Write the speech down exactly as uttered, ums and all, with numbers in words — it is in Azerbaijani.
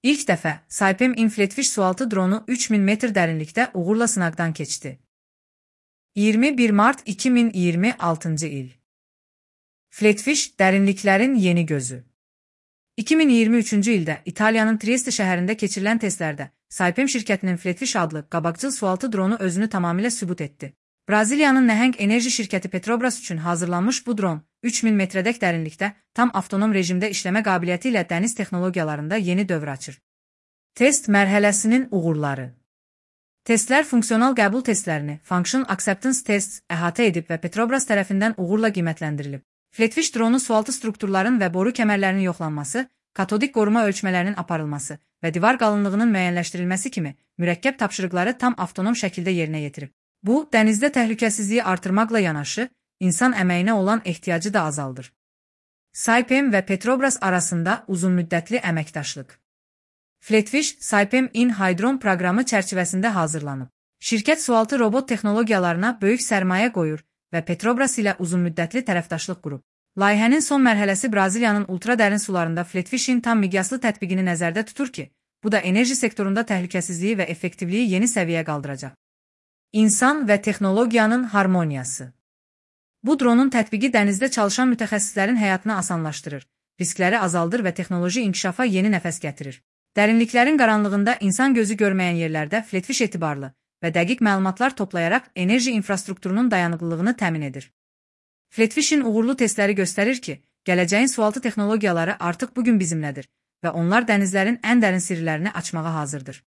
İlk dəfə Saipem Flatfish sualtı dronu üç min metr dərinlikdə uğurla sınaqdan keçdi. iyirmi bir mart iki min iyirmi altıncı il. Flatfish dərinliklərin yeni gözü. iki min iyirmi üçüncü ildə İtaliyanın Trieste şəhərində keçirilən testlərdə Saipem şirkətinin Flatfish adlı qabaqcıl sualtı dronu özünü tamamilə sübut etdi. Braziliyanın nəhəng enerji şirkəti Petrobras üçün hazırlanmış bu dron, üç min metrədək dərinlikdə tam avtonom rejimdə işləmə qabiliyyəti ilə dəniz texnologiyalarında yeni dövr açır. Test mərhələsinin uğurları. Testlər funksional qəbul testlərini, Function Acceptance Tests əhatə edib və Petrobras tərəfindən uğurla qiymətləndirilib. Flatfish dronu sualtı strukturların və boru kəmərlərinin yoxlanması, katodik qoruma ölçmələrinin aparılması və divar qalınlığının müəyyənləşdirilməsi kimi mürəkkəb tapşırıqları tam avtonom şəkildə yerinə yetirib. Bu, dənizdə təhlükəsizliyi artırmaqla yanaşı, insan əməyinə olan ehtiyacı da azaldır. Saipem və Petrobras arasında uzunmüddətli əməkdaşlıq. Flatfish, Saipem in Hydron proqramı çərçivəsində hazırlanıb. Şirkət sualtı robot texnologiyalarına böyük sərmayə qoyur və Petrobras ilə uzunmüddətli tərəfdaşlıq qurub. Layihənin son mərhələsi Braziliyanın ultradərin sularında Flatfishin tam miqyaslı tətbiqini nəzərdə tutur ki, bu da enerji sektorunda təhlükəsizliyi və effektivliyi yeni səviyyə qaldıracaq. İnsan və texnologiyanın harmoniyası. Bu dronun tətbiqi dənizdə çalışan mütəxəssislərin həyatını asanlaşdırır, riskləri azaldır və texnoloji inkişafa yeni nəfəs gətirir. Dərinliklərin qaranlığında insan gözü görməyən yerlərdə Flatfish etibarlı və dəqiq məlumatlar toplayaraq enerji infrastrukturunun dayanıqlılığını təmin edir. Flatfishin uğurlu testləri göstərir ki, gələcəyin sualtı texnologiyaları artıq bugün bizimlədir və onlar dənizlərin ən dərin sirlərini açmağa hazırdır.